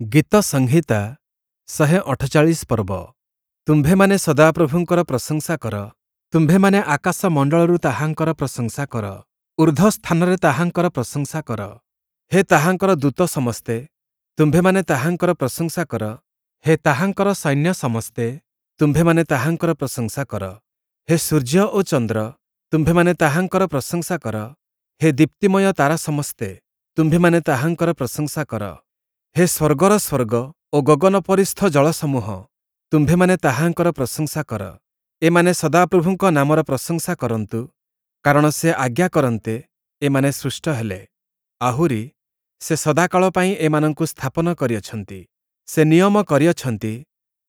ଗୀତ ସଂହିତା 148 ପର୍ବ। ତୁମ୍ଭେମାନେ ସଦାପ୍ରଭୁଙ୍କର ପ୍ରଶଂସା କର। ତୁମ୍ଭେମାନେ ଆକାଶମଣ୍ଡଳରୁ ତାହାଙ୍କର ପ୍ରଶଂସା କର। ଊର୍ଦ୍ଧ୍ୱ ସ୍ଥାନରେ ତାହାଙ୍କର ପ୍ରଶଂସା କର। ହେ ତାହାଙ୍କର ଦୂତ ସମସ୍ତେ, ତୁମ୍ଭେମାନେ ତାହାଙ୍କର ପ୍ରଶଂସା କର। ହେ ତାହାଙ୍କର ସୈନ୍ୟ ସମସ୍ତେ, ତୁମ୍ଭେମାନେ ତାହାଙ୍କର ପ୍ରଶଂସା କର। ହେ ସୂର୍ଯ୍ୟ ଓ ଚନ୍ଦ୍ର, ତୁମ୍ଭେମାନେ ତାହାଙ୍କର ପ୍ରଶଂସା କର। ହେ ଦୀପ୍ତିମୟ ତାରା ସମସ୍ତେ, ତୁମ୍ଭେମାନେ ତାହାଙ୍କର ପ୍ରଶଂସା କର। ହେ ସ୍ୱର୍ଗର ସ୍ୱର୍ଗ ଓ ଗଗନୋପରିସ୍ଥ ଜଳସମୂହ, ତୁମ୍ଭେମାନେ ତାହାଙ୍କର ପ୍ରଶଂସା କର। ଏମାନେ ସଦାପ୍ରଭୁଙ୍କ ନାମର ପ୍ରଶଂସା କରନ୍ତୁ, କାରଣ ସେ ଆଜ୍ଞା କରନ୍ତେ ଏମାନେ ସୃଷ୍ଟ ହେଲେ। ଆହୁରି ସେ ସଦାକାଳ ପାଇଁ ଏମାନଙ୍କୁ ସ୍ଥାପନ କରିଅଛନ୍ତି। ସେ ନିୟମ କରିଅଛନ୍ତି,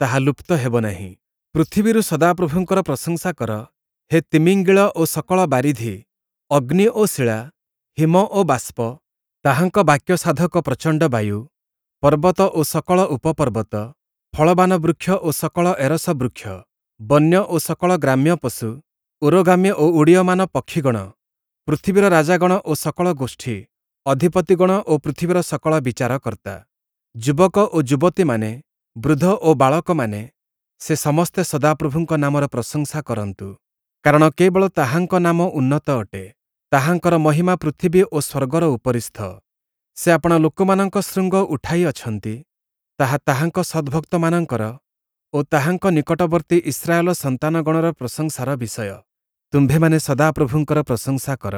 ତାହା ଲୁପ୍ତ ହେବ ନାହିଁ। ପୃଥିବୀରୁ ସଦାପ୍ରଭୁଙ୍କର ପ୍ରଶଂସା କର। ହେ ତିମିଙ୍ଗିଳ ଓ ସକଳ ବାରିଧି, ଅଗ୍ନି ଓ ଶିଳା, ହିମ ଓ ବାଷ୍ପ, ତାହାଙ୍କ ବାକ୍ୟ ସାଧକ ପ୍ରଚଣ୍ଡ ବାୟୁ, ପର୍ବତ ଓ ସକଳ ଉପପର୍ବତ, ଫଳବାନ ବୃକ୍ଷ ଓ ସକଳ ଏରସ ବୃକ୍ଷ, ବନ୍ୟ ଓ ସକଳ ଗ୍ରାମ୍ୟ ପଶୁ, ଉରୋଗାମୀ ଓ ଉଡ଼ୀୟମାନ ପକ୍ଷୀଗଣ, ପୃଥିବୀର ରାଜାଗଣ ଓ ସକଳ ଗୋଷ୍ଠୀ, ଅଧିପତିଗଣ ଓ ପୃଥିବୀର ସକଳ ବିଚାରକର୍ତ୍ତା, ଯୁବକ ଓ ଯୁବତୀମାନେ, ବୃଦ୍ଧ ଓ ବାଳକମାନେ, ସେ ସମସ୍ତେ ସଦାପ୍ରଭୁଙ୍କ ନାମର ପ୍ରଶଂସା କରନ୍ତୁ। କାରଣ କେବଳ ତାହାଙ୍କ ନାମ ଉନ୍ନତ ଅଟେ। ତାହାଙ୍କର ମହିମା ପୃଥିବୀ ଓ ସ୍ୱର୍ଗର ଉପରିସ୍ଥ। ସେ ଆପଣା ଲୋକମାନଙ୍କ ଶୃଙ୍ଗ ଉଠାଇ ଅଛନ୍ତି, ତାହା ତାହାଙ୍କ ସଦ୍ଭକ୍ତମାନଙ୍କର ଓ ତାହାଙ୍କ ନିକଟବର୍ତ୍ତୀ ଇସ୍ରାଏଲ ସନ୍ତାନଗଣର ପ୍ରଶଂସାର ବିଷୟ। ତୁମ୍ଭେମାନେ ସଦାପ୍ରଭୁଙ୍କର ପ୍ରଶଂସା କର।